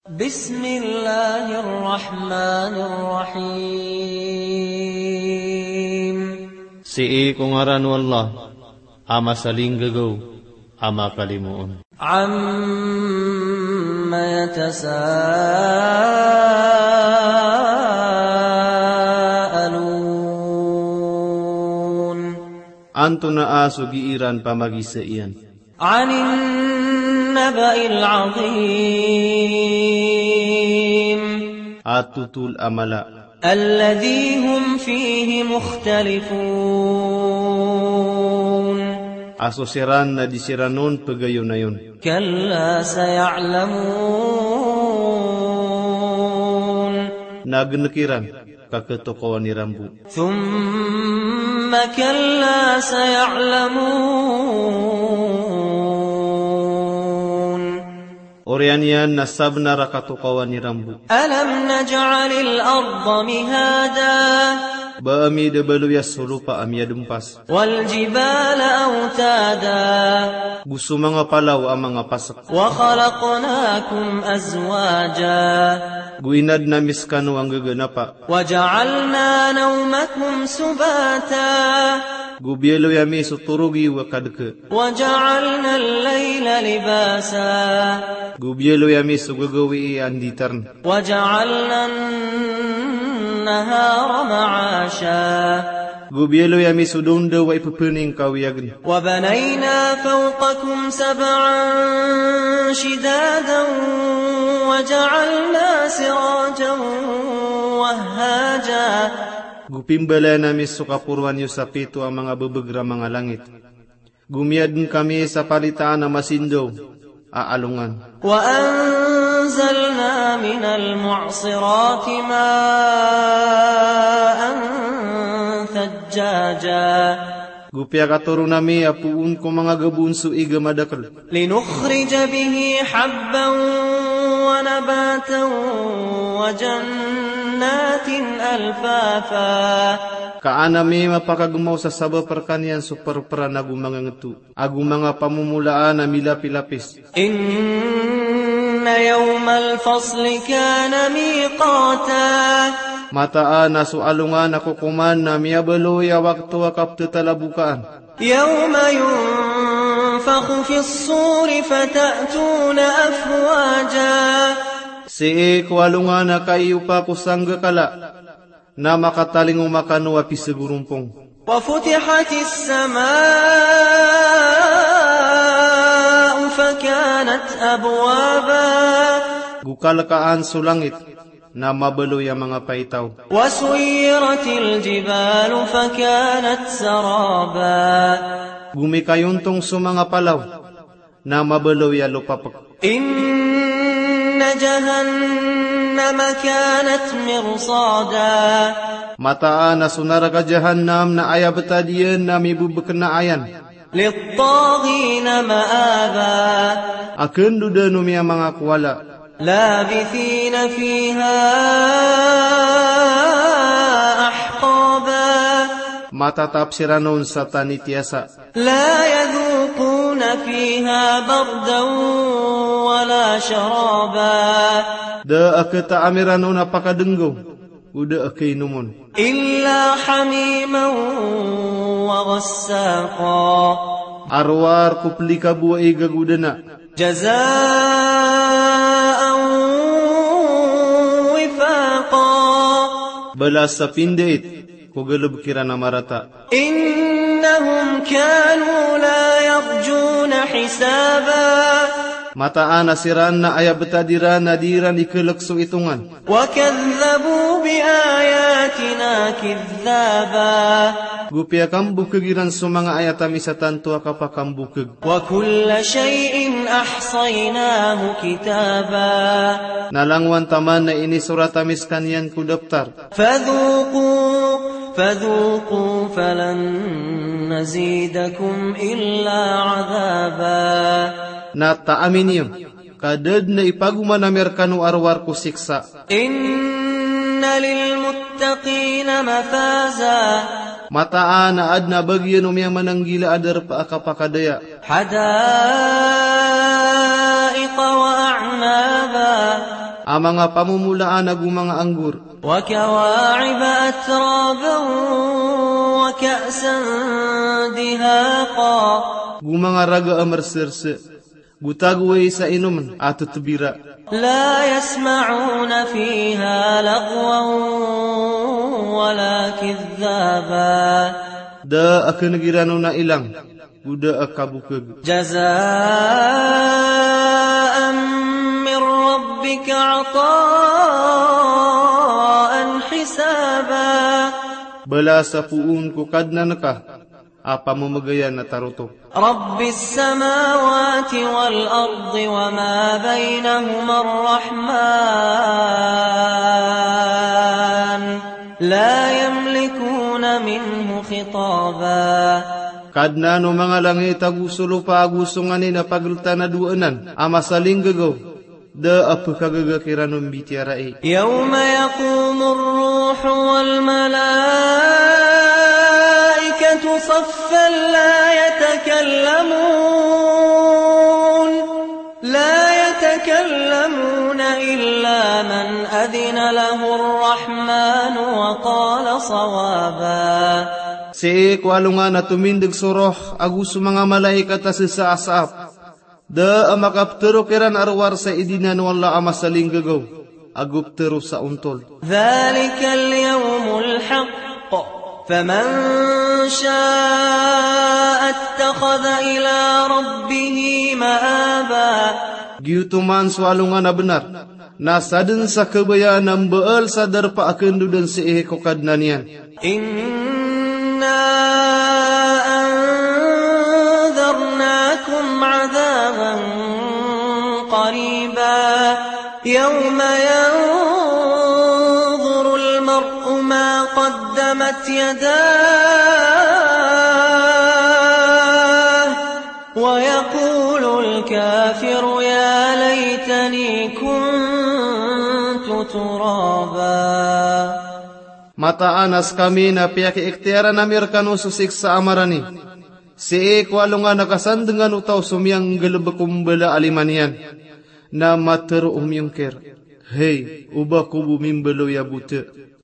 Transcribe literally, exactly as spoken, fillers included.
بسم الله الرحمن الرحيم. Sii ko ngaran o Allah, a masalinggagaw, a makalimoon. عم يتساءلون. Antonaa so gii ran pamagisa iyan? عن النبأ العظيم. A totol a mala. الذي هم فيه مختلفون. A so siran na di siran on pegayonayon. كلا سيعلمون. Na genek iran ka ketokawan iran bo. ثم كلا سيعلمون. Oriyan iyan na sabenar a katokawan iran bo. ألم نجعل الأرض مهادا. Ba ami da baloya so lopa a miyadempas. والجبال أوتادا. Go so manga palaw a manga pasek. وخلقناكم أزواجا. Go inadn ami sekano a nggaganapa. وجعلنا نومكم سباتا. Go biyaloy ami so torog iyo a kadeke. وجعلنا الليل لباسا. Go biyaloy ami so gagawii a nditarn. وجعلنا النهار معاشا. Go biyaloy ami so dawndaw a ipepeningkawiyagn. وبنينا فوقكم سبعا شدادا وجعلنا سراجا وهاجا. Go pimbalayan ami so kaporoan iyo sa pito a manga bebeger a manga langit. Go miyadn kami sa palitaan a masindaw a alongan. وأنزلنا من المعصرات ماء ثجاجا. Go piyakatoron ami a poon ko manga gabon so ig a madakel. لنخرج به حبا ونباتا وجنات ألفافا. Ka an ami mapakagemaw sa sabap rekaniyan so perperan ago manga ngeto, ago manga pamomolaan a milapilapis. إن يوم الفصل كان ميقاتا. Mataan a so alongan a kokoman na miyabaloy a wakto a kaptetalabokaan. يوم ينفخ في الصور فتأتون أفواجا. Sii ko alongan a kaiyopa ko sanggakala, na makatalingoma kano a pisegorompong. وفتحت السماء فكانت أبوابا. Go kalekaan so langit, na mabaloy a manga paitaw. وسيرت الجبال فكانت سرابا. Go mikayontong so manga palaw, na mabaloy a lopapek. إن جهنم كانت مرصادا. Mataan a so naraka Jahannam na aya betad iyan na mibebekenaayan. للطاغين مآبا. A kendodan o miyamangakowala. لابثين فيها أحقابا. Matatap siran on sa tanitiyasa. لا يذوقون فيها بردا ولا شرابا. Da a ketaam iran on a pakadenggaw, o da a kainomon. إلا حميما وغساقا. A rowar ko pelikabo a ig ago dena. جزاء وفاقا. Balas a pindait ko galebek iran a marata. إنهم كانوا لا يرجون حسابا. Mataan a siran na aya betad iran na di iran ikelek so itongan. وكذبوا بآياتنا كذابا. Go piyakambokeg iran so manga ayat ami sa tanto a kapakambokeg. وكل شيء أحصيناه كتابا. Na langowan taman na inisorat ami sekaniyan ko daptar. فذوقوا، فذوقوا فلن نزيدكم إلا عذابا. Na taami niyo, ka da den a ipagoman ami rekano a rowar ko siksa. إن للمتقين مفازا. Mataan a aden a bagian o miyamananggila a darpa a kapakadaya. حدائق وأعنابا. a manga pamomolaan ago manga anggur. وكواعب أترابا وكأسا دهاقا. Go manga raga a merserse. Go tagoway sa inomn a tetebira. لا يسمعون فيها لغوا ولا كذابا. Da a keneg iran on a ilang, go da a kabokeg. جزاء من ربك عطاء حسابا. Balas a poon ko Kadnan ka a pamemegayan a tarotop. رب السماوات والأرض وما بينهما الرحمن لا يملكون منه خطابا. Kadnan o manga langit ago so lopa ago so nganin a pageltan a dowa anan a masalinggegaw, da a pekagaga kiran on mbitiyarai. يوم يقوم الروح والملائكة صفا لا يتكلمون، لا يتكلمون إلا من أذن له الرحمن وقال صوابا. Sii ko alongan a tomindeg so roh ago so manga malaikat a sesasaap, da a makapetero kiran a rowar sa idinan o Allah a masalinggegaw, ago petero sa ontol. ذلك اليوم الحق فمن شاء اتخذ إلى ربه مآبا. Giyoto man so alongan a benar, na sadn sa kabayaan a mbaal sa darpa a kendodan sii ko Kadnan iyan. إنا أنذرناكم عذابا قريبا يوم ينظر المرء ما قدمت يداه ويقول الكافر يا ليتني كنت ترابا. Mataan a sekami na piyakiiktiyaran ami rekano so siksa a marani. Sii ko alongan a kasandengan o taw so miyanggalebek o mbala a lima niyan, na matero o miyongkir, hay, oba ko bo mimbaloy a bote.